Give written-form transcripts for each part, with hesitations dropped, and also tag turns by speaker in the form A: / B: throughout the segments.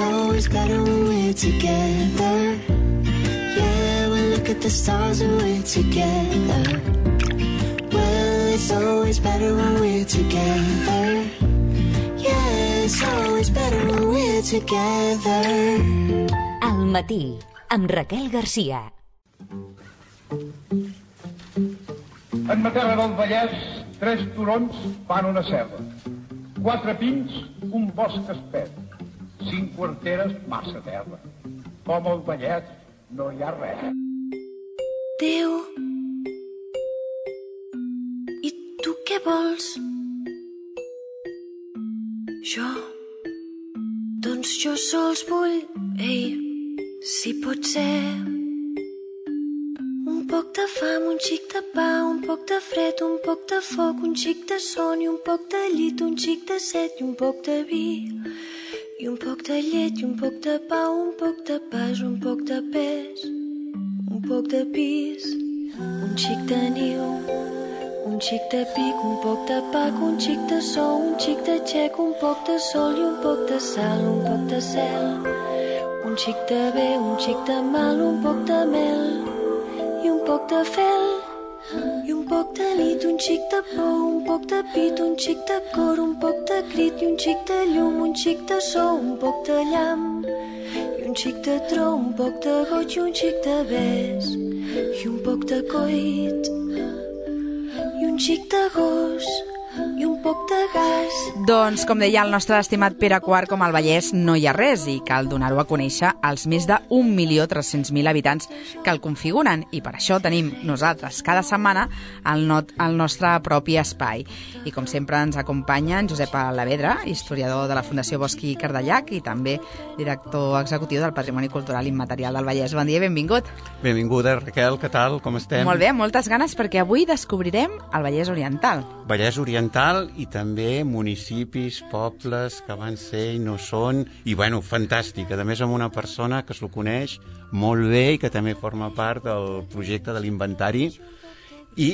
A: it's always better when we're together. Yeah, we look at the stars when we're together. Well, it's always better when we're together. Yeah, it's always better when we're together.
B: Al matí, amb Raquel Garcia.
C: En ma terra del Vallès, 3 turons fan una serra. 4 pins, un bosc espès. 5 quarteres, massa terra. Com al Vallès no hi ha res.
D: Déu, i tu què vols? Jo? Doncs jo sols vull, ei, si pot ser. Un poc de fam, un xic de pa, un poc de fred, un poc de foc, un xic de son i un poc de llit, un xic de set i un poc de vi. I un poc de llet i un poc de pa, un poc de pas, un poc de pes, un poc de pis, un xic de niu, un xic de pic, un poc de pac, un xic de sou, un xic de xec, un poc de sol i un poc de sal, un poc de cel, un xic de bé, un xic de mal, un poc de mel i un poc de fel i un poc de nit, un xic de por, un poc de pit, un xic de cor, un poc de crit i un xic de llum, un xic de so, un poc de llamp i un xic de tro, un poc de goig i un xic de bes i un poc de coit i un xic de gos i un poc de gas.
E: Doncs, com deia el nostre estimat Pere IV, com al Vallès no hi ha res i cal donar-ho a conèixer als més de 1.300.000 habitants que el configuren i per això tenim nosaltres cada setmana el nostre propi espai. I com sempre ens acompanya en Josep Alavedra, historiador de la Fundació Bosch i Cardellac i també director executiu del Patrimoni Cultural Immaterial del Vallès. Bon dia i benvingut.
F: Benvinguda, Raquel, què tal? Com estem?
E: Molt bé, moltes ganes perquè avui descobrirem el Vallès Oriental.
F: Vallès Oriental i també municipis, pobles que van ser i no són, i bueno, fantàstic, a més amb una persona que s'ho coneix molt bé i que també forma part del projecte de l'inventari i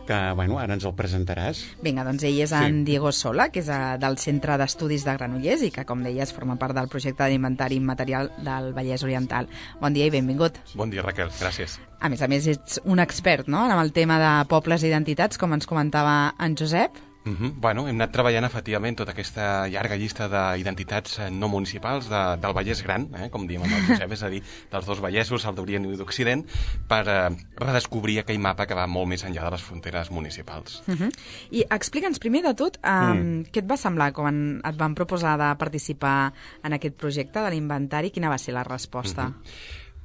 F: que, bueno, ara ens el presentaràs.
E: Vinga, doncs ell és en Diego Sola, que és del Centre d'Estudis de Granollers i que, com deies, forma part del projecte d'inventari immaterial del Vallès Oriental. Bon dia i benvingut.
G: Bon dia, Raquel, gràcies.
E: A més, ets un expert, no?, en el tema de pobles i identitats, com ens comentava en Josep.
G: Bueno, hem anat treballant efectivament tota aquesta llarga llista d'identitats no municipals del Vallès Gran, com diem amb el Josep, és a dir, dels dos Vallèsos, el d'Orient i d'Occident, per redescobrir aquell mapa que va molt més enllà de les fronteres municipals.
E: I explica'ns primer de tot què et va semblar quan et van proposar de participar en aquest projecte de l'inventari, quina va ser la resposta?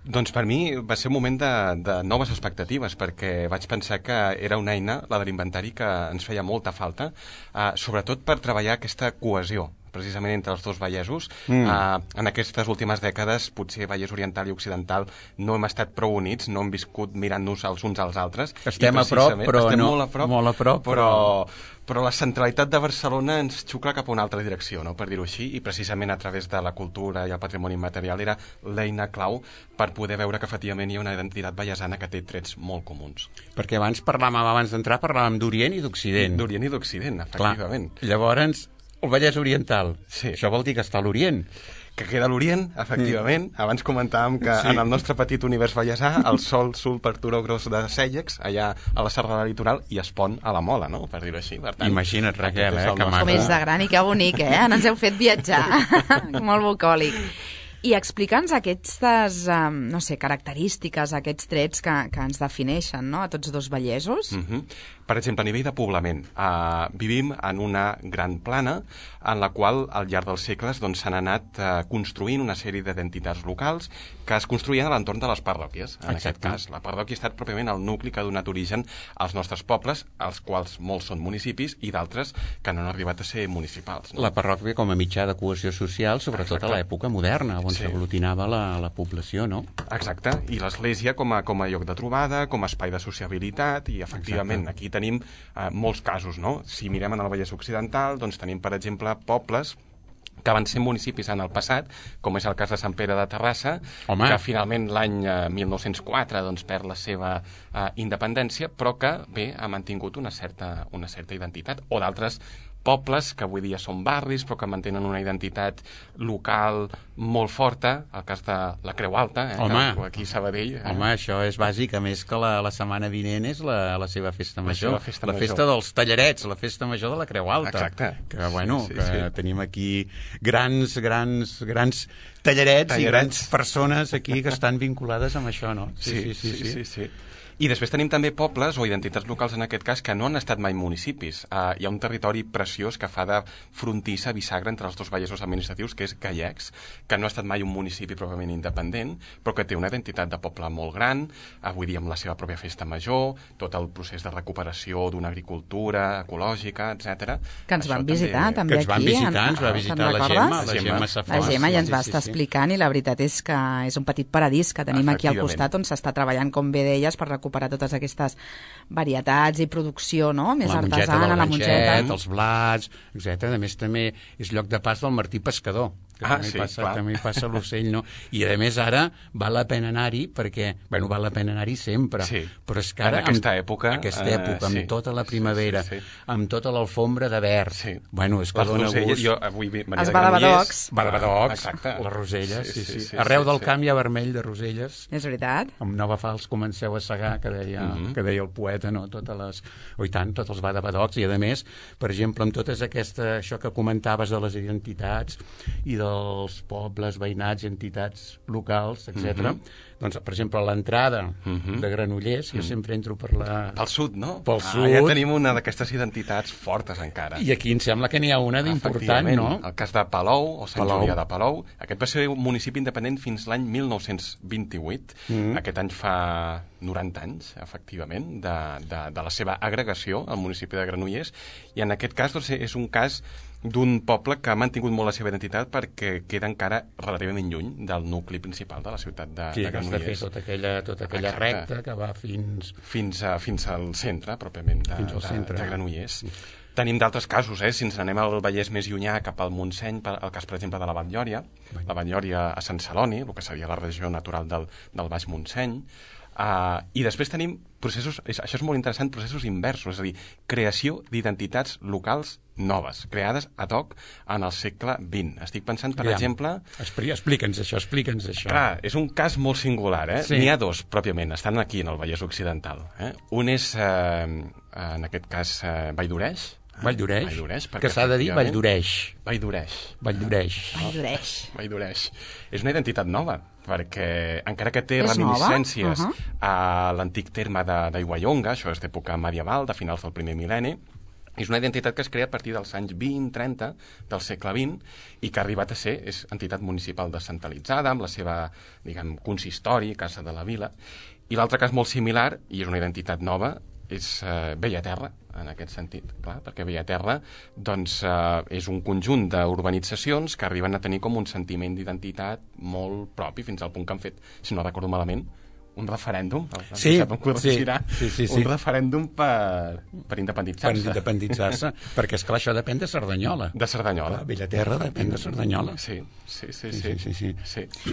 G: Doncs per mi va ser un moment de noves expectatives, perquè vaig pensar que era una eina, la de l'inventari, que ens feia molta falta, sobretot per treballar aquesta cohesió precisament entre els dos Vallesos. En aquestes últimes dècades, potser Vallès Oriental i Occidental no hem estat prou units, no hem viscut mirant-nos els uns als altres.
F: Estem a prop, però
G: estem
F: no,
G: molt a prop, però la centralitat de Barcelona ens xucla cap a una altra direcció, no?, per dir-ho així, i precisament a través de la cultura i el patrimoni immaterial era l'eina clau per poder veure que efectivament hi ha una identitat vallesana que té trets molt comuns.
F: Perquè abans d'entrar parlàvem d'Orient i d'Occident.
G: D'Orient i d'Occident, efectivament.
F: Clar. Llavors, el Vallès Oriental,
G: sí.
F: Això vol dir que està a l'Orient.
G: Que queda a l'Orient, efectivament. Abans comentàvem que en el nostre petit univers vallesà el sol surt per Turó Gros de Cèllex, allà a la serralada litoral, i es pon a la Mola, no?, per dir-ho així. Per tant,
F: imagina't, Raquel, que maco.
E: Com és de gran i que bonic, Ens heu fet viatjar. Molt bucòlic. I explica'ns aquestes, no sé, característiques, aquests trets que ens defineixen, no?, a tots dos vallesos.
G: Per exemple, a nivell de poblament, vivim en una gran plana en la qual al llarg dels segles s'han anat construint una sèrie d'identitats locals que es construïen a l'entorn de les parròquies. En aquest cas, la parròquia ha estat pròpiament el nucli que ha donat origen als nostres pobles, els quals molts són municipis i d'altres que no han arribat a ser municipals.
F: La parròquia com a mitjà de cohesió social, sobretot a l'època moderna, on s'aglutinava la població, no?
G: Exacte, i l'església com a lloc de trobada, com a espai de sociabilitat, i efectivament aquí tenim molts casos, no? Si mirem en el Vallès Occidental, doncs tenim, per exemple, pobles que van ser municipis en el passat, com és el cas de Sant Pere de Terrassa, que finalment l'any 1904 doncs, perd la seva independència, però que, bé, ha mantingut una certa identitat, o d'altres pobles que avui dia són barris però que mantenen una identitat local molt forta, el cas de la Creu Alta, aquí a Sabadell.
F: Home, això és bàsic, a més que la setmana vinent és la seva festa major,
G: festa
F: dels tallarets, la festa major de la Creu Alta.
G: Exacte.
F: Que, bueno, que tenim aquí grans tallarets i grans persones aquí que estan vinculades amb això, no?
G: Sí. I després tenim també pobles o identitats locals, en aquest cas, que no han estat mai municipis. Hi ha un territori preciós que fa de frontissa bisagra entre els dos vallesos administratius, que és Gallecs, que no ha estat mai un municipi pròpiament independent, però que té una identitat de poble molt gran, avui dia amb la seva pròpia festa major, tot el procés de recuperació d'una agricultura ecològica, etc.
E: Que ens van visitar també aquí.
F: Ens va visitar la Gemma Safont.
E: La Gemma ja ens va estar explicant, i la veritat és que és un petit paradís que tenim aquí al costat, on s'està treballant, com bé deies, per recuperar totes aquestes varietats i producció, no?, més artesana, la mongeta,
F: els blats, etc. A més, també és lloc de pas del Martí Pescador, que també hi passa l'ocell, no? I a més ara val la pena anar-hi perquè, bueno, val la pena anar-hi sempre, però és que ara,
G: en aquesta època,
F: amb tota la primavera, amb tota l'alfombra de verd, bueno, és que dona gust.
E: Els badabadocs,
F: les roselles, arreu del camp hi ha vermell de roselles.
E: És veritat.
F: Amb Nova Fals comenceu a segar, que deia el poeta, no? Tots els badabadocs, i a més, per exemple, amb totes això que comentaves de les identitats i dels pobles, veïnats, entitats locals, etc. Doncs, per exemple, a l'entrada de Granollers, jo sempre entro pel
G: sud, no?
F: Pel sud.
G: Ja tenim una d'aquestes identitats fortes encara.
F: I aquí em sembla que n'hi ha una d'important, no?
G: El cas de Palou, o Sant Julià de Palou. Aquest va ser un municipi independent fins l'any 1928. Aquest any fa 90 anys, efectivament, de la seva agregació al municipi de Granollers. I en aquest cas doncs, és un cas d'un poble que ha mantingut molt la seva identitat perquè queda encara relativament lluny del nucli principal de la ciutat de Granollers.
F: Tota aquella recta que va fins
G: al centre, pròpiament, de Granollers. Tenim d'altres casos, si ens n'anem al Vallès més llunyà, cap al Montseny, el cas, per exemple, de la Batllòria, la Batllòria a Sant Celoni, el que seria la regió natural del Baix Montseny. I després tenim processos, això és molt interessant, processos inversos, és a dir, creació d'identitats locals noves, creades ad hoc en el segle XX. Estic pensant, per exemple...
F: Explica'ns això.
G: Clar, és un cas molt singular,
F: Sí.
G: N'hi ha dos, pròpiament, estan aquí en el Vallès Occidental. Un és, en aquest cas, Valldoreix,
F: que s'ha de dir Valldoreix.
G: És una identitat nova, perquè encara que té reminiscències a l'antic terme d'Aiguallonga, això és d'època medieval, de finals del primer mil·lenni, és una identitat que es crea a partir dels anys 20-30 del segle XX i que ha arribat a ser entitat municipal descentralitzada, amb la seva, consistori, Casa de la Vila. I l'altre cas molt similar, i és una identitat nova, és Bellaterra, en aquest sentit, clar, perquè Bellaterra doncs, és un conjunt d'urbanitzacions que arriben a tenir com un sentiment d'identitat molt propi, fins al punt que han fet, si no recordo malament, un referèndum, un referèndum per independitzar-se.
F: Per independitzar-se, perquè, esclar, això depèn de Cerdanyola.
G: De Cerdanyola.
F: Bellaterra depèn de Cerdanyola.
G: Sí.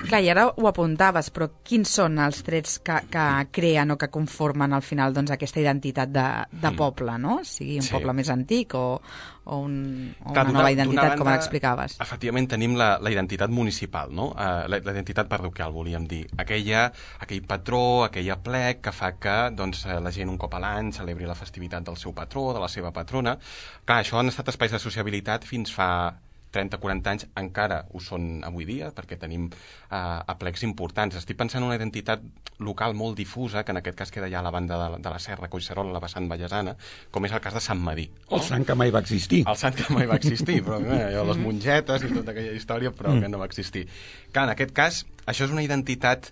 E: Clar, i ara ho apuntaves, però quins són els trets que creen o que conformen al final doncs, aquesta identitat de poble, no? Sigui un poble més antic o una nova identitat, com l'explicaves.
G: Efectivament, tenim la identitat municipal, no? La identitat parroquial, volíem dir. Aquell patró, aquell aplec que fa que doncs, la gent un cop a l'any celebri la festivitat del seu patró, de la seva patrona. Clar, això han estat espais de sociabilitat fins fa 30-40 anys, encara ho són avui dia, perquè tenim aplecs importants. Estic pensant en una identitat local molt difusa, que en aquest cas queda ja a la banda de la Serra, Collserola, la vessant vallesana, com és el cas de Sant Medir.
F: El sant que mai va existir.
G: El sant que mai va existir, però les mongetes i tota aquella història, però que no va existir. Clar, en aquest cas, això és una identitat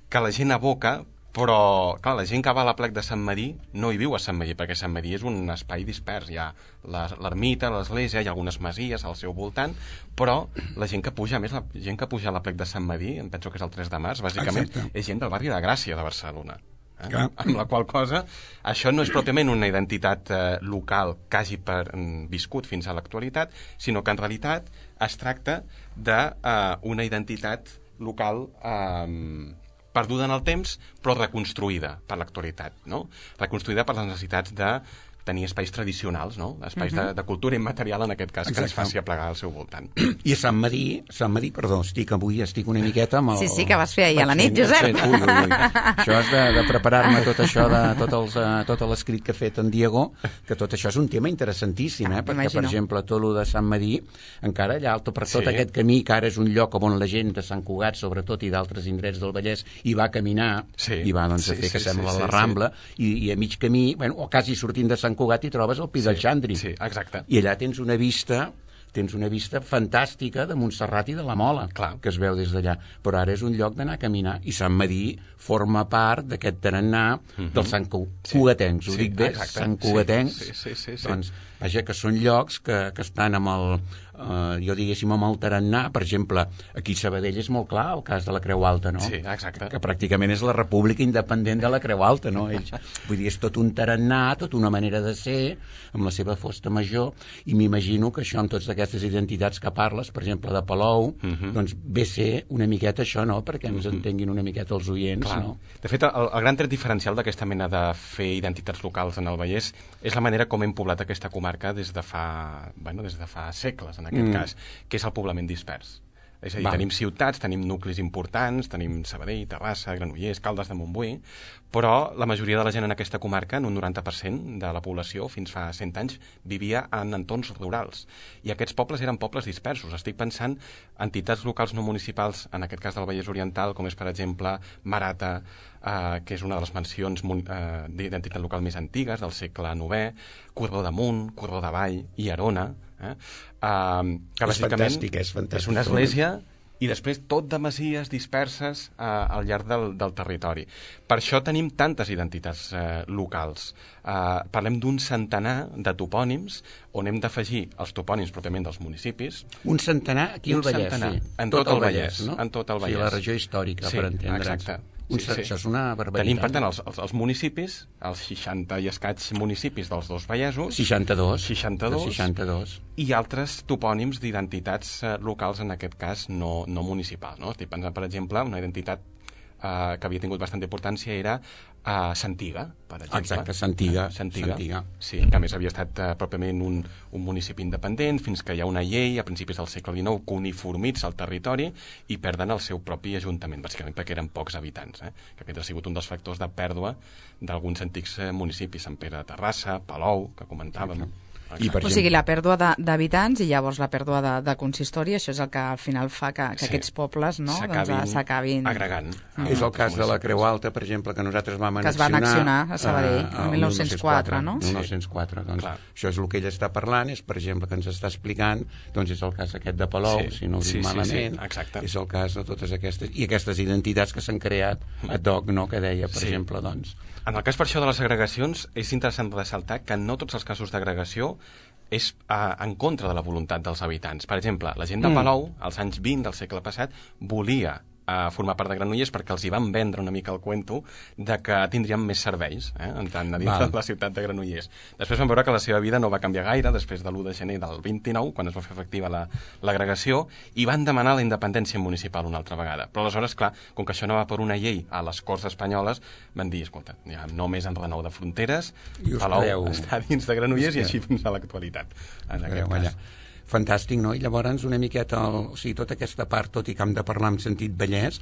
G: que la gent evoca, però, clar, la gent que va a l'aplec de Sant Medir no hi viu a Sant Medir, perquè Sant Medir és un espai dispers. Hi ha l'ermita, l'església, hi ha algunes masies al seu voltant, però la gent que puja, més la gent que puja a l'aplec de Sant Medir, em penso que és el 3 de març, bàsicament, és gent del barri de Gràcia de Barcelona. Amb la qual cosa, això no és pròpiament una identitat local que hagi viscut fins a l'actualitat, sinó que en realitat es tracta d'una identitat local perduda en el temps, però reconstruïda per l'actualitat, no? Reconstruïda per les necessitats de tenir espais tradicionals, no? Espais de cultura immaterial, en aquest cas, que ens faci aplegar al seu voltant.
F: I a Sant Madí, perdó, avui estic una miqueta amb el...
E: Sí, que vas fer ahir a la nit, Josep.
F: Ui. Això és de preparar-me tot això, tot l'escrit que ha fet en Diego, que tot això és un tema interessantíssim, perquè, per exemple, tot el de Sant Madí, encara allà alto per tot aquest camí, que ara és un lloc on la gent de Sant Cugat, sobretot, i d'altres indrets del Vallès, hi va caminar, i va a fer que sembla la Rambla, i a mig camí, o quasi sortint de Sant Cugat, hi trobes el Pi del Xandri.
G: Sí, exacte.
F: I allà tens una vista fantàstica de Montserrat i de la Mola, que es veu des d'allà. Però ara és un lloc d'anar a caminar. I Sant Madí forma part d'aquest tarannà dels Sant Cugatencs. Ho dic bé? Sant Cugatencs. Doncs, vaja, que són llocs que estan amb el... jo diguéssim amb el tarannà, per exemple, aquí a Sabadell és molt clar el cas de la Creu Alta, no?
G: Sí, exacte.
F: Que pràcticament és la república independent de la Creu Alta, no? Vull dir, és tot un tarannà, tota una manera de ser, amb la seva fosta major, i m'imagino que això, amb totes aquestes identitats que parles, per exemple, de Palou, doncs ve ser una miqueta això, no?, perquè ens entenguin una miqueta els oients, no?
G: De fet, el gran tret diferencial d'aquesta mena de fer identitats locals en el Vallès és la manera com hem poblat aquesta comarca des de fa segles, en aquest cas, que és el poblament dispers. És a dir, tenim ciutats, tenim nuclis importants, tenim Sabadell, Terrassa, Granollers, Caldes de Montbui, però la majoria de la gent en aquesta comarca, en un 90% de la població, fins fa 100 anys, vivia en entorns rurals. I aquests pobles eren pobles dispersos. Estic pensant en entitats locals no municipals, en aquest cas del Vallès Oriental, com és, per exemple, Marata, que és una de les mencions d'identitat local més antigues, del segle IX, Corredor d'Amunt, Corredor d'Avall i Arona, que bàsicament és una església i després tot de masies disperses al llarg del territori. Per això tenim tantes identitats locals. Parlem d'un centenar de topònims on hem d'afegir els topònims pròpiament dels municipis.
F: Un centenar aquí al Vallès, sí.
G: En tot el Vallès, no? En tot el Vallès.
F: Sí, la regió històrica, per entendre'ns.
G: Exacte.
F: Això és una barbaritat.
G: Tenim, per tant, els municipis, els 60 i escaig municipis dels dos Vallesos.
F: 62.
G: I altres topònims d'identitats locals, en aquest cas, no municipals. No? Estic pensant, per exemple, una identitat que havia tingut bastanta importància era Santiga, per exemple.
F: Exacte, Santiga.
G: Sí, que a més havia estat pròpiament un municipi independent, fins que hi ha una llei a principis del segle XIX que uniformitza el territori i perden el seu propi ajuntament, bàsicament perquè eren pocs habitants, que aquest ha sigut un dels factors de pèrdua d'alguns antics municipis, Sant Pere de Terrassa, Palou, que comentàvem.
E: O sigui, la pèrdua d'habitants i llavors la pèrdua de consistori, això és el que al final fa que aquests pobles s'acabin
G: agregant.
F: És el cas de la Creu Alta, per exemple, que nosaltres vam annexionar...
E: Que es va annexionar a Sabadell, el 1904, no?
F: 1904, doncs això és el que ell està parlant, és, per exemple, que ens està explicant, doncs és el cas aquest de Palou, si no ho dic malament, és el cas de totes aquestes... I aquestes identitats que s'han creat ad hoc, no?, que deia, per exemple, doncs...
G: En el cas, per això, de les agregacions, és interessant ressaltar que no tots els casos d'agregació és en contra de la voluntat dels habitants. Per exemple, la gent de Palou, als anys 20 del segle passat, volia formar part de Granollers perquè els hi van vendre una mica el cuento de que tindrien més serveis, entrant a dins de la ciutat de Granollers. Després van veure que la seva vida no va canviar gaire després de l'1 de gener del 29, quan es va fer efectiva l'agregació, i van demanar la independència municipal una altra vegada. Però aleshores, clar, com que això no va per una llei a les Corts Espanyoles, van dir, escolta, ja només en renou de fronteres, Palou està dins de Granollers i així fins a l'actualitat, en aquest cas.
F: Fantàstic, no? I llavors una miqueta, o sigui, tota aquesta part, tot i que hem de parlar en sentit Vallès,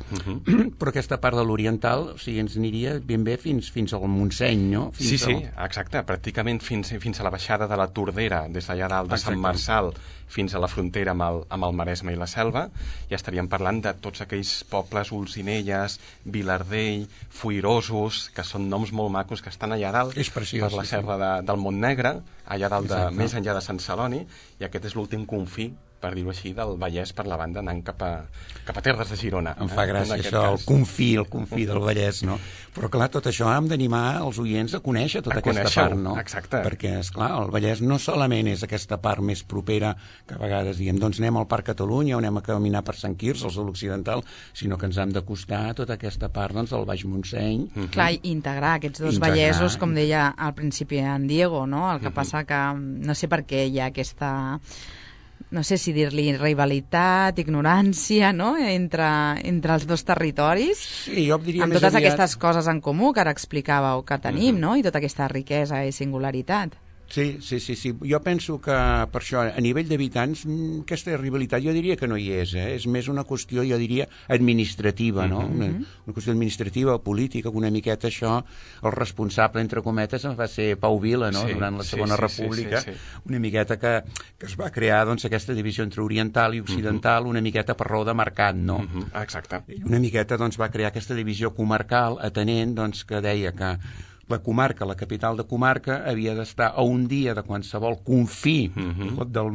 F: però aquesta part de l'oriental, o sigui, ens aniria ben bé fins al Montseny, no?
G: Sí, exacte, pràcticament fins a la baixada de la Tordera, des d'allà dalt de Sant Marçal fins a la frontera amb el Maresme i la Selva, ja estaríem parlant de tots aquells pobles, Olzinelles, Vilardell, Foirosos, que són noms molt macos que estan allà dalt, per la serra del Montnegre, allà dalt, més enllà de Sant Celoni, i aquest és l'últim confí, per dir-ho així, del Vallès per la banda anant cap a terres de Girona.
F: Em fa gràcia això, el confí del Vallès, no? Però clar, tot això hem d'animar els oients a conèixer tota aquesta part, no?
G: Exacte.
F: Perquè, esclar, el Vallès no solament és aquesta part més propera que a vegades diem, doncs anem al Parc Catalunya o anem a caminar per Sant Quirze, al l'Occidental, sinó que ens hem d'acostar a tota aquesta part, doncs, del Baix Montseny.
E: Clar, i integrar aquests dos vallesos, com deia al principi en Diego, no? El que passa que no sé per què hi ha aquesta... no sé si dir-li rivalitat, ignorància, no?, entre els dos territoris,
F: sí, jo diria
E: amb totes aquestes coses en comú que ara explicàveu que tenim, no?, i tota aquesta riquesa i singularitat.
F: Sí. Jo penso que per això, a nivell d'habitants, aquesta rivalitat jo diria que no hi és, És més una qüestió, jo diria, administrativa, no? Una qüestió administrativa, política, una miqueta això, el responsable, entre cometes, va ser Pau Vila, no? Durant la Segona República, una miqueta que es va crear, doncs, aquesta divisió entre oriental i occidental, una miqueta per raó de mercat, no?
G: Exacte.
F: I una miqueta, doncs, va crear aquesta divisió comarcal, atenent, doncs, que deia que la comarca, la capital de comarca, havia d'estar a un dia de qualsevol confí de la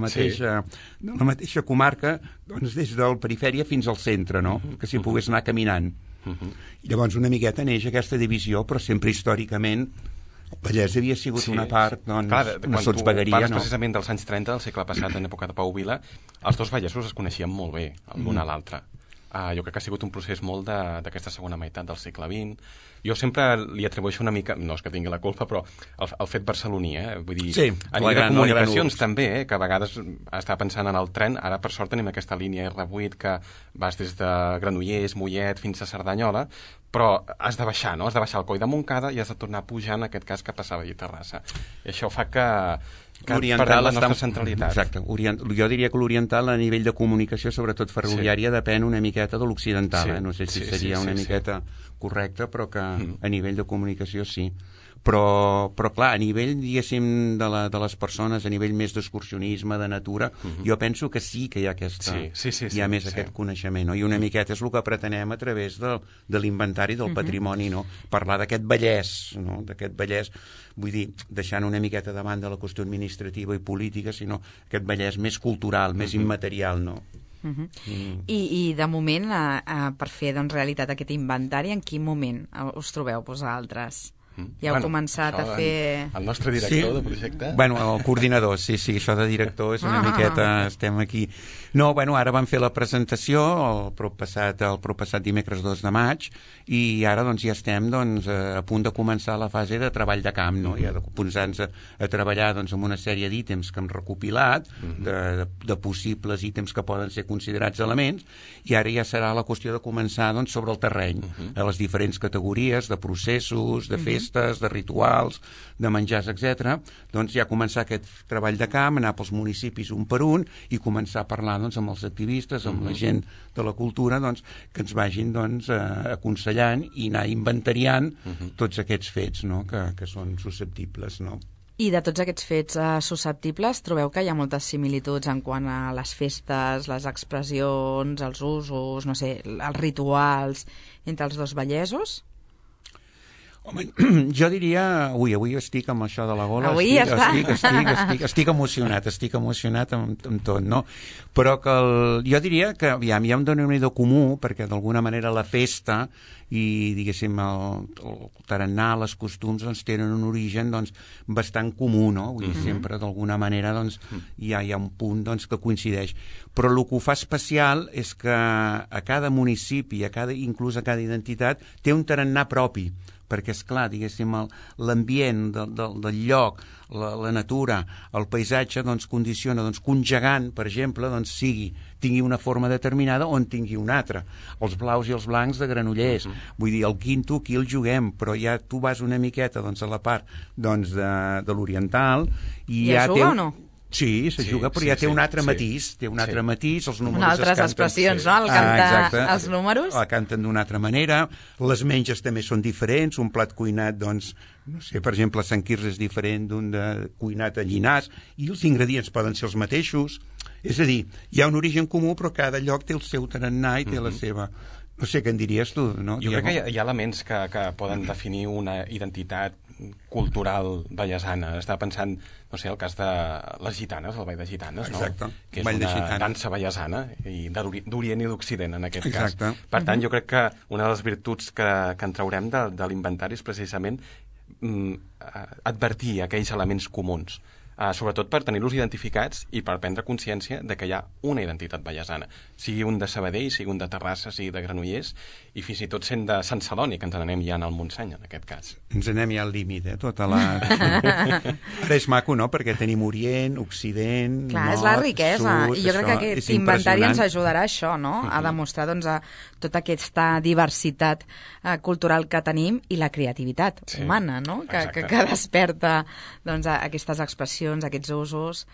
F: mateixa comarca, doncs des del perifèria fins al centre, no? Que s'hi pogués anar caminant. I llavors una miqueta neix aquesta divisió, però sempre històricament el Vallès havia sigut una part, doncs, una sotsvegueria,
G: no? Precisament dels anys 30 del segle passat, en època de Pau Vila, els dos vallesos es coneixien molt bé, l'un a l'altre. Jo crec que ha sigut un procés molt d'aquesta segona meitat del segle XX. Jo sempre li atribueixo una mica, no és que tingui la culpa, però el fet barceloní, vull dir, a nivell de comunicacions també, que a vegades estava pensant en el tren, ara per sort tenim aquesta línia R8 que vas des de Granollers, Mollet fins a Cerdanyola, però has de baixar, no? Has de baixar el Coll de Montcada i has de tornar a pujar, en aquest cas, cap a Sabadell i Terrassa. I això fa que perdem la nostra centralitat.
F: Exacte. Jo diria que l'oriental a nivell de comunicació, sobretot ferroviària, depèn una miqueta de l'occidental. No sé si seria una miqueta correcte, però que a nivell de comunicació sí. Però clar, a nivell, diguéssim, de les persones, a nivell més d'excursionisme, de natura, jo penso que sí que hi ha aquest coneixement, no? I una miqueta és el que pretenem a través de l'inventari del patrimoni, no? Parlar d'aquest Vallès, no? D'aquest Vallès, vull dir, deixant una miqueta de banda la qüestió administrativa i política, sinó aquest Vallès més cultural, més immaterial, no?
E: I de moment, per fer realitat aquest inventari, en quin moment us trobeu vosaltres? Ja heu començat a fer...
G: El nostre director de projecte?
F: El coordinador, sí, això de director és una miqueta... Estem aquí... No, ara vam fer la presentació el proppassat dimecres 2 de maig i ara ja estem a punt de començar la fase de treball de camp, no? Ja de posar-nos a treballar amb una sèrie d'ítems que hem recopilat, de possibles ítems que poden ser considerats elements, i ara ja serà la qüestió de començar sobre el terreny, a les diferents categories de processos, de festes, de rituals, de menjars, etc. Doncs ja començar aquest treball de camp, anar pels municipis un per un i començar a parlar amb els activistes, amb la gent de la cultura, que ens vagin aconsellant i anar inventariant tots aquests fets, no? Que són susceptibles, no?
E: I de tots aquests fets susceptibles, trobeu que hi ha moltes similituds en quant a les festes, les expressions, els usos, no sé, els rituals entre els dos vallesos?
F: Home, jo diria... Avui estic amb això de la gola.
E: Avui
F: estic emocionat amb tot, no? Però que jo diria que hi ha un denominador comú, perquè d'alguna manera la festa i, diguéssim, el tarannà, les costums, tenen un origen bastant comú, no? Vull dir, sempre d'alguna manera hi ha un punt que coincideix. Però el que ho fa especial és que a cada municipi, inclús a cada identitat, té un tarannà propi, perquè, esclar, diguéssim, l'ambient del lloc, la natura, el paisatge, condiciona que un gegant, per exemple, tingui una forma determinada o en tingui una altra. Els blaus i els blancs de Granollers. Vull dir, el quinto, aquí el juguem, però ja tu vas una miqueta a la part de l'oriental i ja té...
E: juga o no?
F: Sí, se juga, però ja té un altre matís, els números
E: altres expressions, no? El cantar els números.
F: El canten d'una altra manera, les menges també són diferents, un plat cuinat, no sé, per exemple, a Sant Quirze és diferent d'un de cuinat a Llinars, i els ingredients poden ser els mateixos. És a dir, hi ha un origen comú, però cada lloc té el seu tarannà i té la seva... No sé, què en diries tu, no?
G: Jo crec que hi ha elements que poden definir una identitat cultural vallesana. Estava pensant, no sé, el cas de les gitanes, el ball de gitanes, no?
F: Exacte.
G: Que és una dansa vallesana, d'Orient i d'Occident, en aquest cas.
F: Exacte.
G: Per tant, jo crec que una de les virtuts que en traurem de l'inventari és precisament advertir aquells elements comuns sobretot per tenir-los identificats i per prendre consciència de que hi ha una identitat vallesana, sigui un de Sabadell, sigui un de Terrassa, sigui de Granollers, i fins i tot sent de Sant Celoni, que ens n'anem ja al Montseny, en aquest cas.
F: Ens anem ja al límit, tota la... Ara és maco, no?, perquè tenim Orient, Occident,
E: Clar,
F: Nord,
E: és la riquesa,
F: Sud...
E: i jo crec que aquest inventari ens ajudarà a això, no?, a demostrar, doncs, tota aquesta diversitat cultural que tenim i la creativitat humana, no?, que desperta, doncs, aquestes expressions, aquests usos,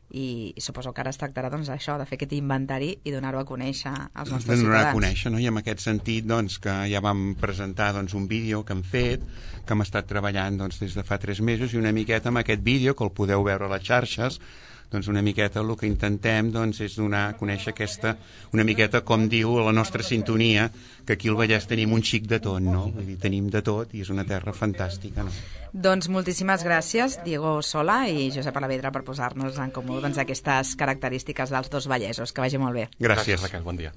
E: i suposo que ara es tractarà, doncs, això, de fer aquest inventari i donar-ho a conèixer als nostres ciutadans. Donar-ho a conèixer,
F: no?, i en aquest sentit, doncs, que ja vam presentar, doncs, un vídeo que hem fet, que hem estat treballant, doncs, des de fa 3 mesos, i una miqueta amb aquest vídeo, que el podeu veure a les xarxes, doncs una miqueta el que intentem, doncs, és donar a conèixer aquesta, una miqueta com diu la nostra sintonia, que aquí al Vallès tenim un xic de tot, no? Vull dir, tenim de tot i és una terra fantàstica, no?
E: Doncs moltíssimes gràcies, Diego Sola i Josep Alavedra, per posar-nos en comú, doncs, aquestes característiques dels dos vallesos. Que vagi molt bé.
F: Gràcies,
G: Raquel, bon dia.